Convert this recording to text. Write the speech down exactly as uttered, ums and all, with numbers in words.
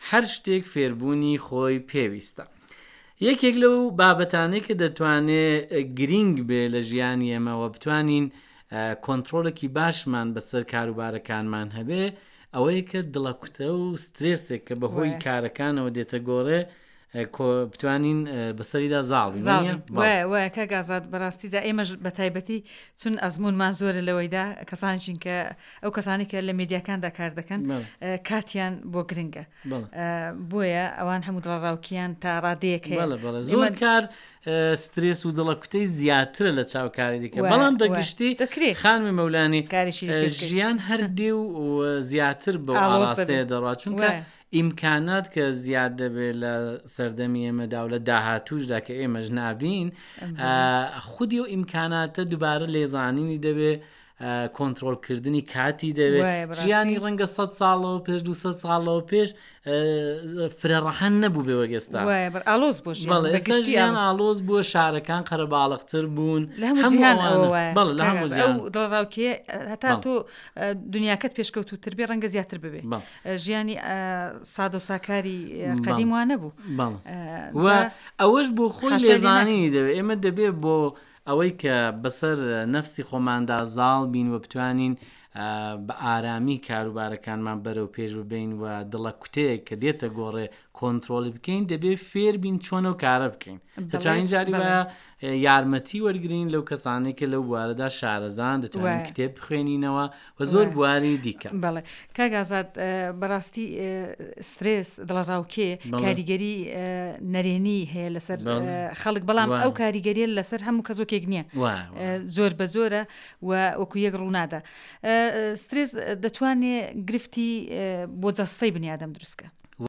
هەر شتێک فێربوونی خۆی پێویستە. یەکێک لەو بابەتانەی کە دەتوانێ گرینگ بێ لە ژیانی ئێمەوە بتوانین کۆنترۆڵێکی باشمان بەسەر کاروبارەکانمان هەبێ، ئەوەیە کە دڵەکوتە و سترێسێک کە بەهۆی کارەکانەوە دێتە گۆڕێ بتوانین بەسەریدا زاڵی وایە کاک ئازاد بەڕاستی جا ئێمەش بە تایبەتی چون ئەزمونمان زۆرە لەوەیدا کەسانشین کە ئەو کەسانی کە لە میدیاکاندا کار دەکەن کاتیان بۆ گرنگە بۆیە ئەوان هەموو دڵەڕاوکیان تا ڕادەیەک هەیە زۆر کار سترێس و دڵەکوتەی زیاترە لە چاوکاری دیکە بەڵام بەگشتی دەکرێت خانمی مەولانی ژیان هەردێ و زیاتر بەو ئاڕاستەیە دەڕات چونکە ئیمکانات کە زیاد دەبێت لە سەردەمی ئێمەدا و لە داهاتوشدا کە ئێمەش نابین، خودی و ئیمکاناتە دووبارە لێزانینی دەبێت، کۆنترۆڵکردنی کاتی دەوێت. ژیانی ڕەنگە سەد ساڵەوە پێش دوو سەد ساڵەوە پێش فرە ڕەهەند نەبوو بێ وەک ئێستا. ئالۆز بوو ژیان ئالۆز بووە، شارەکان قەرەباڵغتر بوون، لە هەموو جیهان ئەوە وایە. بەڵێ لە هەموو جیهان. ئەو دڵەڕاوکێ هەتا تۆ دنیاکەت پێشکەوتووتر بێ ڕەنگە زیاتر ببێ. ژیانی سادە و ساکاری قەدیم وا نەبوو. ئەوەش بۆ خۆی لێزانینی دەوێت. ئێمە دەبێ بۆ ئەوەی کە بەسەر نەفسی خۆماندا زاڵ بین و بتوانین بە ئارامی کاروبارەکانمان بەرەو پێش ببین و دڵە کوتەیەک کە دێتە گۆڕێ کۆنترۆڵی بکەین، دەبێ فێر بین چۆن ئەو کارە بکەین. دەتوانین جاری وایە یارمەتی وەرگین لەو کەسانەی کە لەو بوارەدا شارەزان، دەتوانین کتێب بخوێنینەوە و زۆر بواری دیکە. بەڵێ کاک ئازاد، بەڕاستی سترێس دڵەڕاوکێ کاریگەری نەرێنی هەیە لەسەر خەڵک، بەڵام ئەو کاریگەریە لەسەر هەموو کەس وەکێک نییە، زۆر بە زۆرە و وەکو یەک ڕوونادا. سترێس دەتوانێت گرفتی بۆ جەستەی بنیادەم دروستکە.